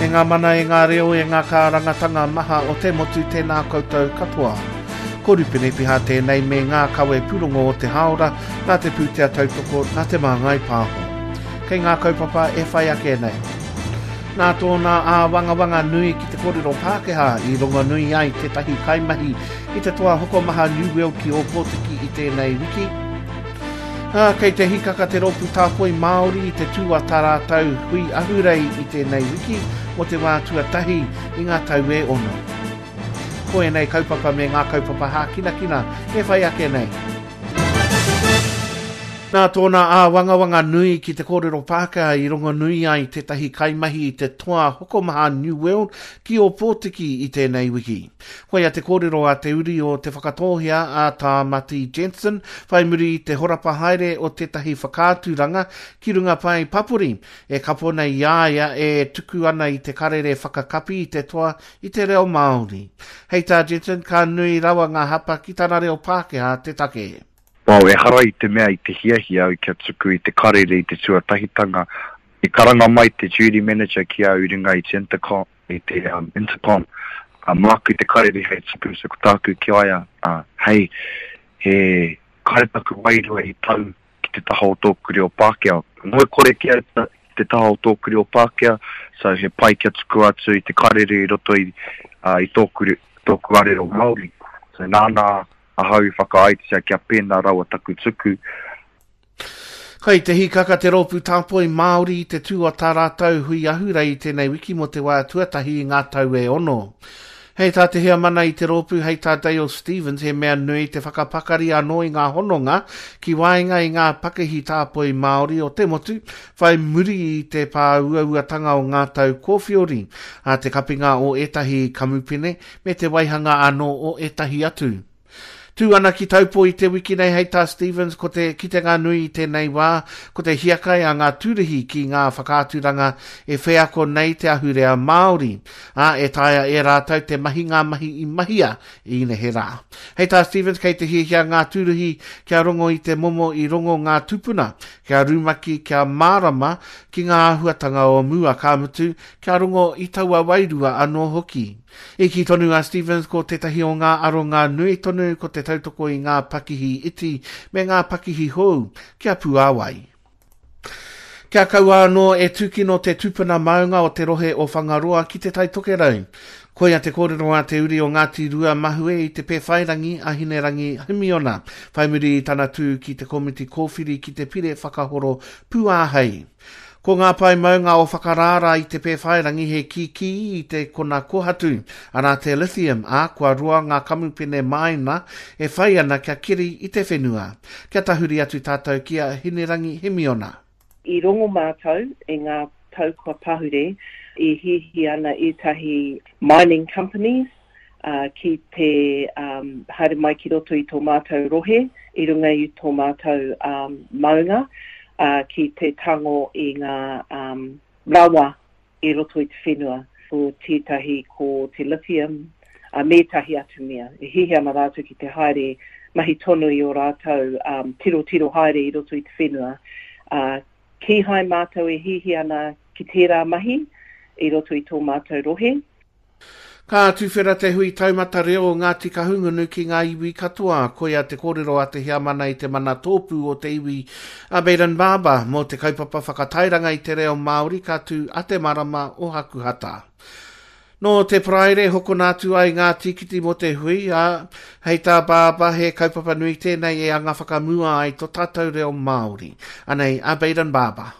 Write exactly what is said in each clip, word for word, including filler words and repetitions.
E ngā mana, e ngā reo, e ngā kārangatanga maha o te motu, tēnā koutou katoa. Ko Rupene Piha tēnei me ngā kawe pūrongo o te hāora, nā te pūtea tautoko, nā te Māngai Pāho. Kei ngā kaupapa e whai ake nei. Nā tōna āwangawanga nui ki te kōrero Pākehā i rongonui ai tētahi kaimahi i te toa hokomaha New World ki Ōpōtiki i tēnei wiki. Ā, kei te hikaka te rōpū tāpoi Māori i te tū a tā rātou hui ahurei i tēnei wiki mō te wā tuatahi i ngā tau e ono. Ko ēnei kaupapa me ngā kaupapa hākinakina e whai ake nei. Nā tōna āwangawanga nui ki te kōrero Pākehā i rongonui ai tētahi kaimahi i te toa hokomaha New World ki Ōpōtiki i tēnei wiki. Koia te kōrero a te uri o Te Whakatōhea a Tāmati Jensen whai muri i te horapa haere o tētahi whakaaturanga ki runga pae papori e kapo nei i a ia e tuku ana i te karere whakakapi i te toa i te reo Māori. Hei tā Jensen, ka nui rawa ngā hapa ki tana reo Pākehā te take. Well, ehara i te mea i te hiahia au kia tuku i te karere i te tuatahitanga. I karanga mai te duty manager ki au i runga i te intercom, i te um, intercom. Uh, māku te karere hei tuku, so ko tāku ki a ia, uh, hei, he kare taku wairua i tau ki te taha o tōku reo Pākehā. Ngoikore ki au ta, ki te taha o tōku reo Pākehā, so he pai kia tuku atu i te karere i roto i, uh, i tōku, tōku arero Māori. So nāna ahau i whakaaetia kia pēnā rawa taku tuku. Kai te hikaka te rōpū tāpoi Māori i te tū o tā rātou hui ahurei i tēnei wiki mō te wā tuatahi i ngā tau e ono. Hei tā te heamana i te rōpū, hei tā Dale Stevens, he mea nui te whakapakari anō i ngā hononga ki waenga i ngā pakihi tāpoi Māori o te motu, whai muri i te pāuauatanga o ngā tau kōwhiori, a te kapinga o ētahi kamupene me te waihanga anō o ētahi atu. Tū ana ki Taupo i te wiki nei hei tā Stevens, ko te kitenga nui i tēnei wā, ko te hiakai a ngā tūruhi ki ngā whakaaturanga e wheako nei te ahurea Māori, ā, e taea e rātou te mahi ngā mahi i mahia i neherā. Hei tā Stevens, kei te hiahia ngā tūruhi kia rongo i te momo i rongo ngā tūpuna, kia rumaki, kia mārama ki ngā āhuatanga o mua, ka mutu, kia rongo i taua wairua anō hoki. I kī tonu a Stevens ko tētahi o ngā aronga nui tonu ko te tautoko i ngā pakihi iti me ngā pakihi hou kia puāwai. Kia kaua anō e tūkino te tupuna maunga o te rohe o Whangaroa ki te Tai Tokerau. Koia te kōrero a te uri o Ngāti Rua Mahue i te Pēwhairangi a Hinerangi Himiona, whai muri i tana tū ki te komiti kōwhiri ki te pire whakahoro pūāhei. Ko ngā pae maunga o Whakarāra i te Pēwhairangi he kīkī i te kona kohatu, arā te lithium, ā, kua roa ngā kamupene māina e whai ana kia keri i te whenua. Kia tahuri atu tātou ki a Hinerangi Himiona. I rongo mātou i ngā tau kua pahure i hihi ana ētahi mining companies uh, ki te um, haere mai ki roto i tō mātou rohe, i runga i tō mātou um, maunga, uh, ki te tango i ngā um, rawa i roto i te whenua. Ko tētahi ko te lithium, uh, me ētahi atu mea. E hihi ana rātou ki te haere mahi tonu i o rātou um, tiro tiro haere i roto i te whenua. Uh, kīhai mātou e hihi ana ki tērā mahi i roto i tō mātou rohe. Ka tuwhera te hui taumata reo o Ngāti Kahungunu ki ngā iwi katoa. Koia te kōrero a te heamana i te mana tōpū o te iwi a Bayden Barber mō te kaupapa whakatairanga i te reo Māori ka tū a te marama o Hakuhata. Nō te Paraire hokona atu ai ngā tīkiti mō te hui, ā, hei tā Barber he kaupapa nui tēnei e anga whakamua ai tō tātou reo Māori. Anei, a Bayden Barber.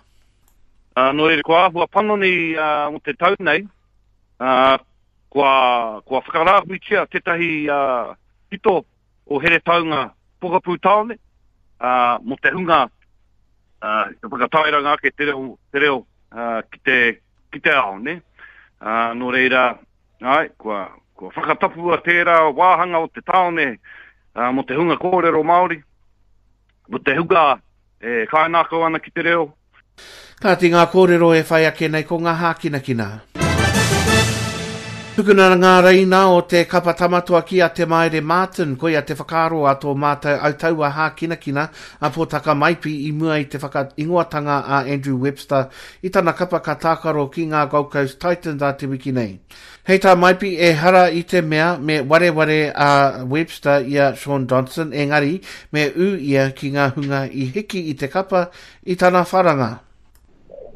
Uh, nō reira, kua āhua panoni uh, mō te tau nei, uh, kua, kua whakarāhuitia tētahi uh, pito o Heretaunga Pokapū Tāone uh, mō te hunga uh, te whakatairanga ake te reo, te reo uh, ki, te, ki te ao, ne? Uh, nō reira, ai, kua, kua whakatapua tērā wāhanga o te tāone uh, mō te hunga kōrero Māori, mō te hunga e kainākau ana ki te reo. Kāti ngā kōrero e whai ake nei ko ngā hākinakina. Tukuna ngā reina o te kapa tamatoa ki a Te Maire Martin, koia te whakaaro a tō mātou autaua hākinakina a Pōtaka Maipi i mua i te whakaingoatanga a Andrew Webster i tana kapa ka tākaro ki ngā Gold Coast Titans a te wiki nei. Hei tā Maipi, ehara i te mea me wareware a Webster i a Shaun Johnson, engari me ū ia ki ngā hunga i hiki i te kapa i tana wharanga.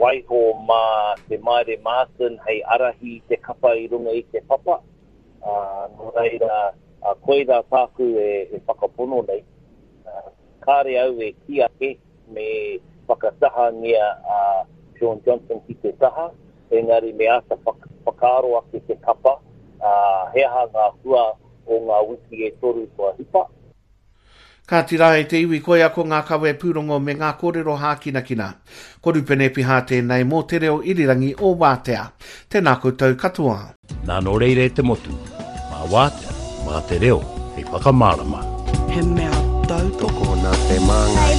Waiho mā Te Maire Martin hei arahi i te kapa i runga i te papa. Uh, nō reira, uh, koirā tāku e, e whakapono nei. Uh, kāre au e kī ake me whakatahangia a uh, Shaun Johnson ki te taha, engari me āta whakaaro ake te kapa, uh, he aha ngā hua o ngā wiki e toru kua hipa. Kāti rā e te iwi koia ko ngā kawe pūrongo me ngā kōrero hākinakina. Ko Rupene Piha tēnei mō te reo irirangi o Wātea. Tēnā koutou katoa. Nā nō reira e te motu, mā Wātea, mā te reo, hei whakamārama. He mea tautoko. Tokona te māngai.